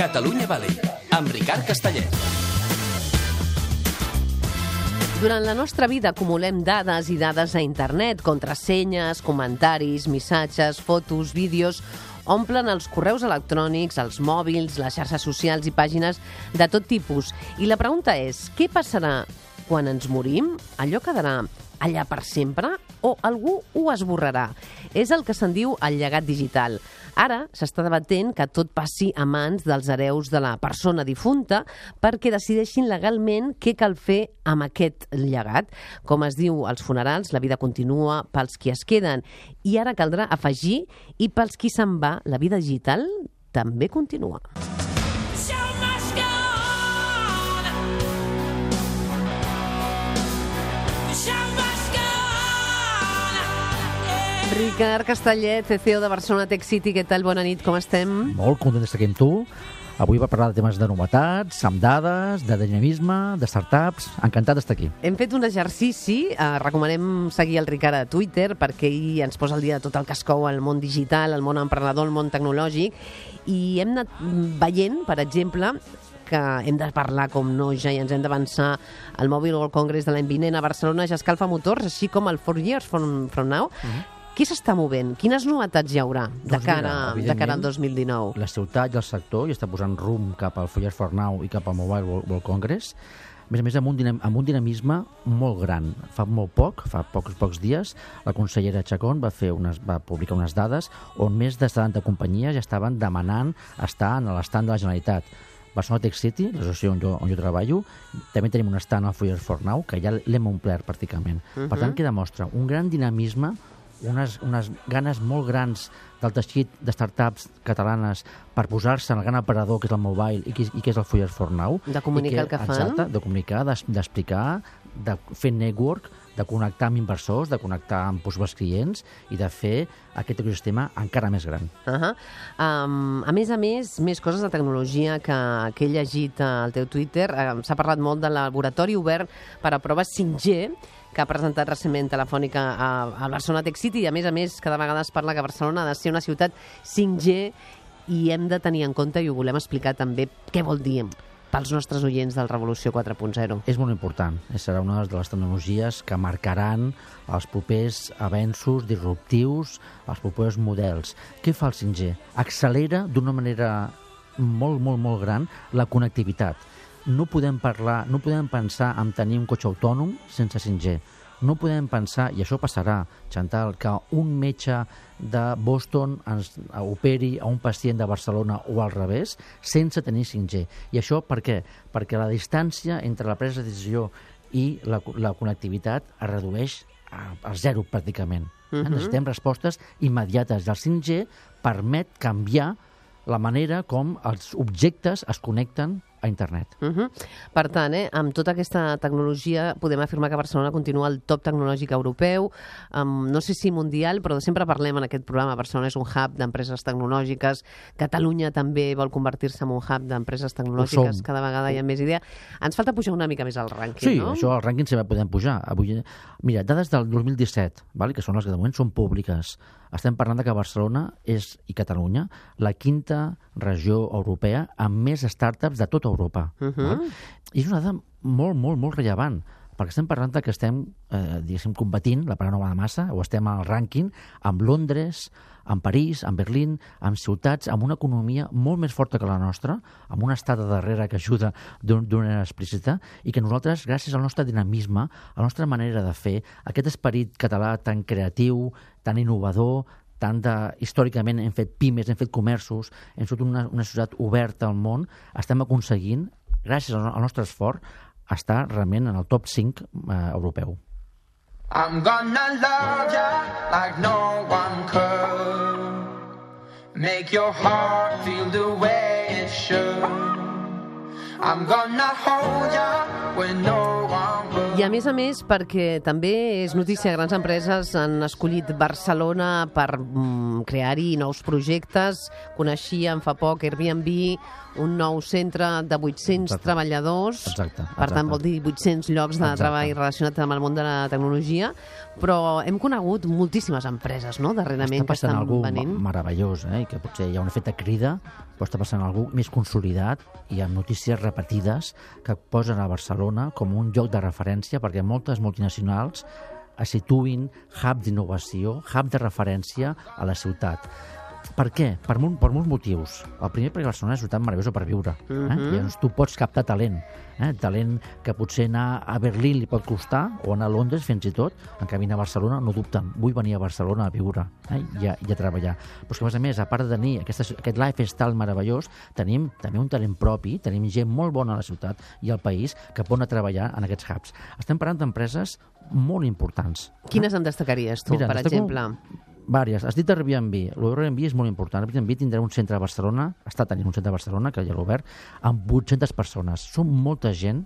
Catalunya Valley, amb Ricard Castellet. Durant la nostra vida acumulem dades i dades a internet, contrasenyes, comentaris, missatges, fotos, vídeos. Omplen els correus electrònics, els mòbils, les xarxes socials i pàgines de tot tipus. I la pregunta és, què passarà quan ens morim? Allò quedarà allà per sempre o algú ho esborrarà? És el que se'n diu el llegat digital. Ara s'està debatent que tot passi a mans dels hereus de la persona difunta perquè decideixin legalment què cal fer amb aquest llegat. Com es diu als funerals, la vida continua pels qui es queden. I ara caldrà afegir, i pels qui se'n va, la vida digital també continua. Ricard Castellet, CEO de Barcelona Tech City, què tal? Bona nit, com estem? Molt content d'estar aquí amb tu. Avui va parlar de temes de novetats, amb dades, de dinamisme, de startups. Encantat d'estar aquí. Hem fet un exercici, recomanem seguir el Ricard a Twitter perquè ell ens posa al dia de tot el que es cou al món digital, al món emprenedor, al món tecnològic, i hem anat veient, per exemple, que hem de parlar com no ja i ens hem d'avançar al Mobile World Congress de l'any vinent a Barcelona, ja escalfa motors, així com el 4 Years from Now. Què s'està movent? Quines novetats hi haurà de cara al 2019? La ciutat i el sector hi està posant rumb cap al 4 Years from Now i cap al Mobile World Congress. A més, amb un dinamisme molt gran. Fa pocs dies, la consellera Chacón va publicar unes dades on més de 70 companyies ja estaven demanant estar en l'estand de la Generalitat. Barcelona Tech City, l'associació on jo treballo, també tenim un stand al 4 Years from Now, que ja l'hem omplert pràcticament. Per tant, que demostra un gran dinamisme, unes ganes molt grans del teixit de startups catalanes per posar-se en el gran aparador que és el mobile i que és el 4 Years from Now. De comunicar el que fan. Exacte, de comunicar, d'explicar, de fer network, de connectar amb inversors, de connectar amb possibles clients i de fer aquest ecosistema encara més gran. A més, més coses de tecnologia que he llegit al teu Twitter. S'ha parlat molt del laboratori obert per a proves 5G que ha presentat recentment Telefònica a Barcelona Tech City, i a més, cada vegada es parla que Barcelona ha de ser una ciutat 5G i hem de tenir en compte, i ho volem explicar també, què vol dir pels nostres oients del Revolució 4.0. És molt important. Serà una de les tecnologies que marcaran els propers avenços disruptius, els propers models. Què fa el 5G? Accelera d'una manera molt gran la connectivitat. No podem pensar en tenir un cotxe autònom sense 5G. No podem pensar, i això passarà, Chantal, que un metge de Boston operi a un pacient de Barcelona o al revés sense tenir 5G. I això per què? Perquè la distància entre la presa de decisió i la connectivitat es redueix a zero pràcticament. Necessitem respostes immediates. El 5G permet canviar la manera com els objectes es connecten a internet. Per tant, amb tota aquesta tecnologia podem afirmar que Barcelona continua al top tecnològic europeu, no sé si mundial, però sempre parlem en aquest programa. Barcelona és un hub d'empreses tecnològiques, Catalunya també vol convertir-se en un hub d'empreses tecnològiques, cada vegada hi ha més idea. Ens falta pujar una mica més al rànquing, no? Sí, això al rànquing sempre podem pujar. Mira, dades del 2017, que són les que de moment són públiques. Estem parlant de que Barcelona és, i Catalunya, la quinta regió europea amb més startups de tota Europa. I és una dada molt rellevant, perquè estem parlant que estem, competint, la paraula no va de massa, o estem al rànquing amb Londres, amb París, amb Berlín, amb ciutats amb una economia molt més forta que la nostra, amb un estat de darrere que ajuda d'una manera explícita, i que nosaltres, gràcies al nostre dinamisme, a la nostra manera de fer, aquest esperit català tan creatiu, tan innovador, històricament hem fet pimes, hem fet comerços, hem sigut una societat oberta al món, estem aconseguint, gràcies al nostre esforç, estar realment en el top 5 europeu. I'm gonna love ya like no one could. Make your heart feel the way it should. I'm gonna hold ya when no one will. I a més, perquè també és notícia, grans empreses han escollit Barcelona per crear-hi nous projectes. Coneixíem fa poc Airbnb, un nou centre de 800 treballadors. Exacte. Per tant, vol dir 800 llocs de treball relacionats amb el món de la tecnologia. Però hem conegut moltíssimes empreses, no?, darrerament, que estan venint. Està meravellós, i que potser hi ha un efecte crida, però està passant algú més consolidat i amb notícies repetides que posen a Barcelona com un lloc de referència perquè moltes multinacionals es situïn hub d'innovació, hub de referència a la ciutat. Per què? Per molts motius. El primer, perquè Barcelona és una ciutat meravellosa per viure. Llavors tu pots captar talent. Talent que potser anar a Berlín li pot costar, o anar a Londres fins i tot, en canvi anar a Barcelona no dubten. Vull venir a Barcelona a viure i a treballar. Però és que, a part de tenir aquest lifestyle meravellós, tenim també un talent propi, tenim gent molt bona a la ciutat i al país que pot anar a treballar en aquests hubs. Estem parlant d'empreses molt importants. Quines en destacaries tu, per exemple? Vàries. Has dit Airbnb. L'Airbnb és molt important. Airbnb tindrà un centre a Barcelona, està tenint un centre a Barcelona, que ja l'ha obert, amb 800 persones. Són molta gent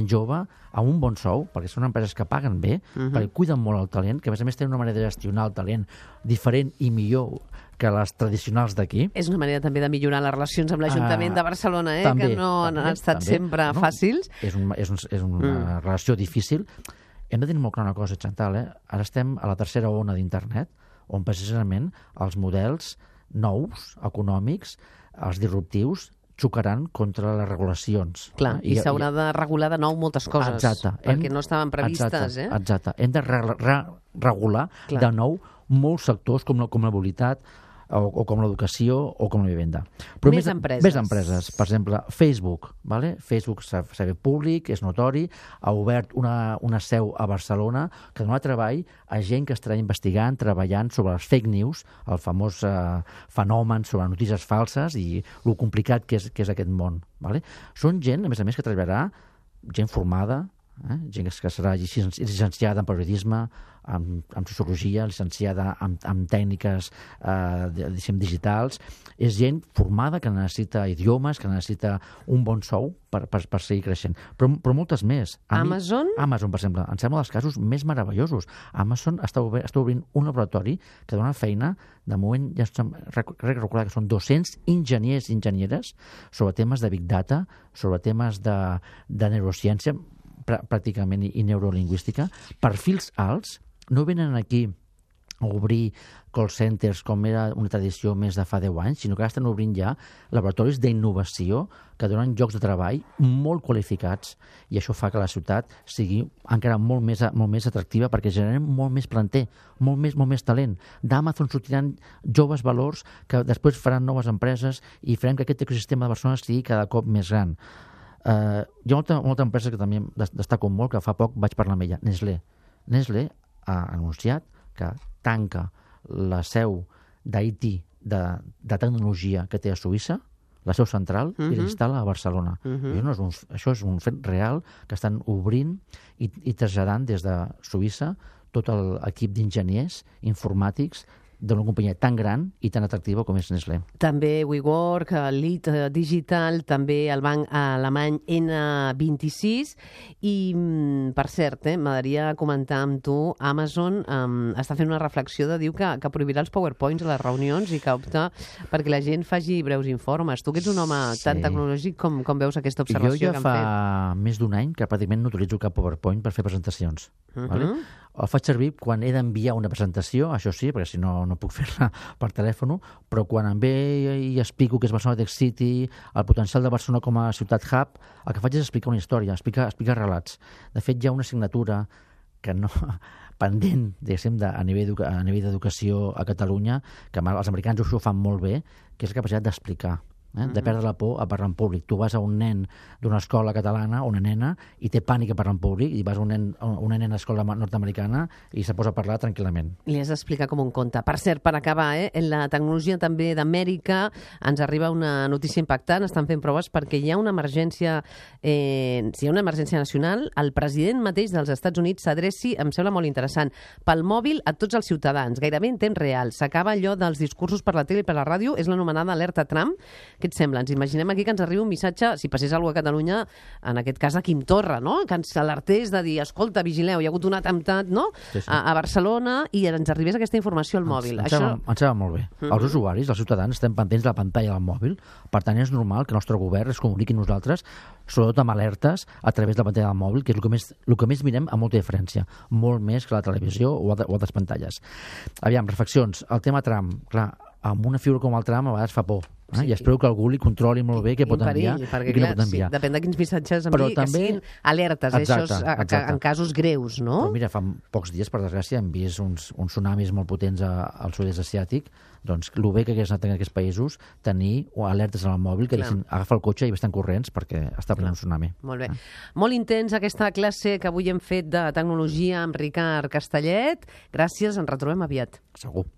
jove, amb un bon sou, perquè són empreses que paguen bé, perquè cuiden molt el talent, que a més tenen una manera de gestionar el talent diferent i millor que les tradicionals d'aquí. És una manera també de millorar les relacions amb l'Ajuntament de Barcelona, també, que no han estat sempre fàcils. És una relació difícil. Hem de tenir molt clar una cosa, Chantal, ara estem a la tercera ona d'internet, on precisament els models nous, econòmics, els disruptius, xocaran contra les regulacions. Clar, i s'haurà de regular de nou moltes coses, perquè no estaven previstes. Exacte. Hem de regular de nou molts sectors com la mobilitat, o com l'educació o com la vivenda. Però més empreses. Més empreses. Per exemple, Facebook. Facebook s'ha fet públic, és notori, ha obert una seu a Barcelona que dona treball a gent que estarà investigant, treballant sobre les fake news, el famós fenomen sobre notícies falses i el complicat que és aquest món. Són gent, a més, que treballarà, gent formada, gent que serà llicenciada en periodisme, en sociologia, licenciada en tècniques digitals. És gent formada que necessita idiomes, que necessita un bon sou per seguir creixent. Però moltes més. Amazon? Amazon, per exemple, em sembla dels casos més meravellosos. Amazon està obrint un laboratori que dona feina, de moment ja crec recordar que són 200 enginyers i enginyeres sobre temes de Big Data, sobre temes de neurociència, pràcticament, i neurolingüística. Perfils alts, no venen aquí a obrir call centers com era una tradició més de fa 10 anys, sinó que ara estan obrint ja laboratoris d'innovació que donen llocs de treball molt qualificats, i això fa que la ciutat sigui encara molt més atractiva perquè generem molt més planter, molt més talent. D'Amazon sortiran joves valors que després faran noves empreses i farem que aquest ecosistema de Barcelona sigui cada cop més gran. Hi ha molta empresa que també destaco molt, que fa poc vaig parlar amb ella, Nestlé ha anunciat que tanca la seu d'IT de tecnologia que té a Suïssa, la seu central, i l'instal·la a Barcelona. Això és un fet real, que estan obrint i traslladant des de Suïssa tot l'equip d'enginyers informàtics d'una companyia tan gran i tan atractiva com és Nestlé. També WeWork, Lead Digital, també el banc alemany N26 i, per cert, m'agradaria comentar amb tu, Amazon està fent una reflexió de dir que prohibirà els PowerPoints a les reunions i que opta perquè la gent faci breus informes. Tu que ets un home tan tecnològic, com veus aquesta observació que han fet? Jo ja fa més d'un any que pràcticament no utilitzo cap PowerPoint per fer presentacions. El faig servir quan he d'enviar una presentació, això sí, perquè si no puc fer-la per telèfon, però quan em ve i explico que és Barcelona Tech City, el potencial de Barcelona com a ciutat hub, el que faig és explicar una història, explicar relats. De fet, hi ha una assignatura que no pendent, diguéssim, a nivell d'educació a Catalunya, que els americans ho fan molt bé, que és la capacitat d'explicar. De perdre la por a parlar en públic. Tu vas a un nen d'una escola catalana, una nena, i té pànic a parlar en públic, i vas a una nena d'escola nord-americana i se posa a parlar tranquil·lament. Li has d'explicar com un conte. Per cert, per acabar, en la tecnologia també d'Amèrica ens arriba una notícia impactant. Estan fent proves perquè hi ha una emergència nacional. El president mateix dels Estats Units s'adreci, em sembla molt interessant, pel mòbil a tots els ciutadans, gairebé en temps real. S'acaba allò dels discursos per la tele i per la ràdio, és l'anomenada alerta Trump, Què et sembla? Ens imaginem aquí que ens arriba un missatge, si passés alguna cosa a Catalunya, en aquest cas a Quim Torra, no? Que ens alertés de dir, escolta, vigileu, hi ha hagut un atemptat, no? Sí, sí. A Barcelona, i ens arribés aquesta informació al mòbil. Ens sembla molt bé. Els usuaris, els ciutadans, estem pendents de la pantalla del mòbil, per tant és normal que el nostre govern es comuniqui amb nosaltres, sobretot amb alertes a través de la pantalla del mòbil, que és el que més mirem amb molta diferència, molt més que la televisió o altres pantalles. Aviam, reflexions. El tema Trump, clar, amb una figura com el Trump a vegades fa por. Sí. I espero que algú li controli molt bé què pot enviar i què no pot enviar. Sí, depèn de quins missatges enviï, que siguin alertes, exacte. En casos greus, no? Però mira, fa pocs dies, per desgràcia, hem vist uns tsunamis molt potents al sud-est asiàtic. Doncs el bé que hagués anat en aquests països tenir alertes en el mòbil que deixin agafar el cotxe i estan corrents perquè està plenant un tsunami. Molt bé. Molt intens aquesta classe que avui hem fet de tecnologia amb Ricard Castellet. Gràcies, ens retrobem aviat. Segur.